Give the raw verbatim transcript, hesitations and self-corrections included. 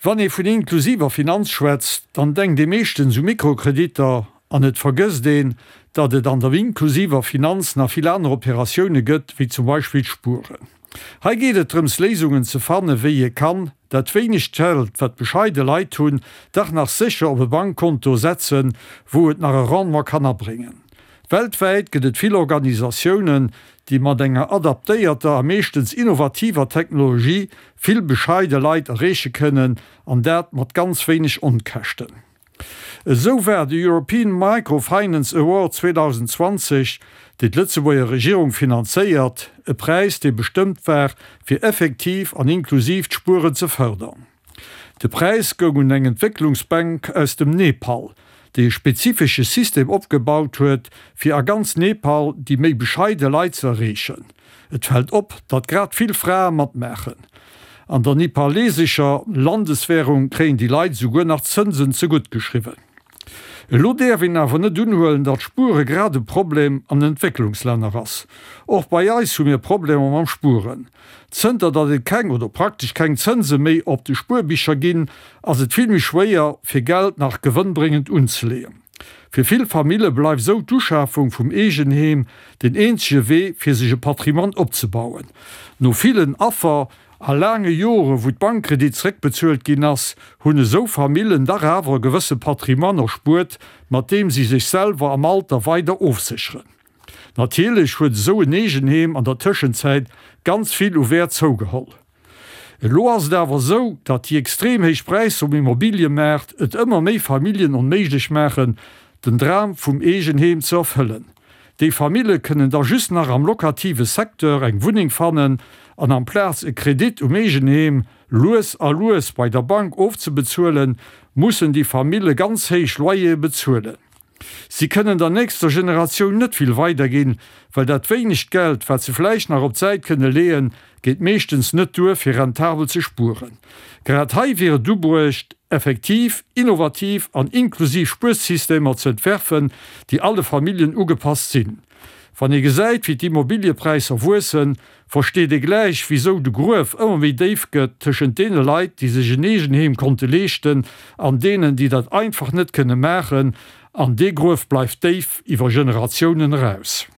Wann ee vun inklusiver Finanz schwätzt, dann denkt ee meeschtens u Mikrokreditter an et vergësst een, datt et an der inklusiver Finanz nach vill aner Operatioune gëtt, wéi zum Beispill d'Spueren. Hei geet et drëms Léisungen ze fanne wéi ee kann dat wéinegt Geld, wat bescheide Leit hunn, dach nach sécher op e Bankkonto setzen, wou et nach e Rendement kann abréngen. Weltwäit gëtt et vill Organisatiounen, déi mat enger adaptéierter a meeschtens innovativer Technologie vill bescheide Leit erreeche kënnen, an dat mat ganz wéineg Onkäschten. Esou war de European Microfinance Award zweedausendzwanzeg, deen d'Lëtzebuerger Regierung finanzéiert, e Präis, dee bestëmmt war, fir effektiv an inklusiivt Spueren ze fërdern. De Präis goung un eng Entwécklungsbank aus dem Nepal, déi e spezifesche System opgebaut huet, fir a ganz Nepal déi méi bescheide Leit ze erreechen. Et fält op, datt grad vill Frae matmaachen. An der nepalesescher Landeswärung kréien déi Leit souguer nach Zënsen zegutt geschriwwen. Elo däerf een awer net unhuelen, datt Spuere grad e Problem an Entwécklungslänner ass. Och bei eis hu mir Problemer mam Spueren. Zënter datt et keng oder praktesch keng Zënse méi op de Spuerbicher ginn, ass et vill méi schwéier, fir Geld nach gewënnbréngend unzeleeën. Fir vill Famille bleift sou d'Uschafung vum Eegenheem den eenzege Wee, fir sech e Patrimoine opzebauen. No villen Affer a laange Jore wou d'Bankkredit zréckbezuelt ginn ass, hunn esou Famillen dach awer e gewësse Patrimoine erspuert, mat deem si sech selwer am Alter weider ofsécheren. Natierlech huet esou en Eegenheem an der Tëschenzäit ganz vill u Wäert zougeholl. Elo ass et awer esou, datt déi extrem héich Präisser um Immobiliëmaart et ëmmer méi Familljen onméiglech maachen, den Dram vum Eegenheem ze erfëllen. Déi Famille kënnen da just nach am locative Secteur eng Wunneng fannen an amplaz e Kredit um Eegenheem lues a lues bei der Bank ofzebezuelen, mussen déi Famille ganz héich Loyere bezuelen. Si kënnen der nächster Generatioun net vill weiderginn, well dat wéinegt Geld, wat se vläicht nach op d'Säit kënne leeën, geet meeschtens net duer, fir rentabel ze spueren. Grad hei wier et ubruecht, effektiv, innovativ an inklusiv Spuersystemer ze entwerfen, déi alle Familljen ugepasst sinn. Wann ee gesäit, wéi d'Immobiliëpräisser wuessen, versteet ee gläich, wisou de Gruef ëmmer méi déif gëtt tëschent deene Leit, déi sech en Eegenheem konnte leeschten, an deenen, déi dat einfach net kënne maachen. An dee Gruef bleift déif iwwer Generatiounen eraus.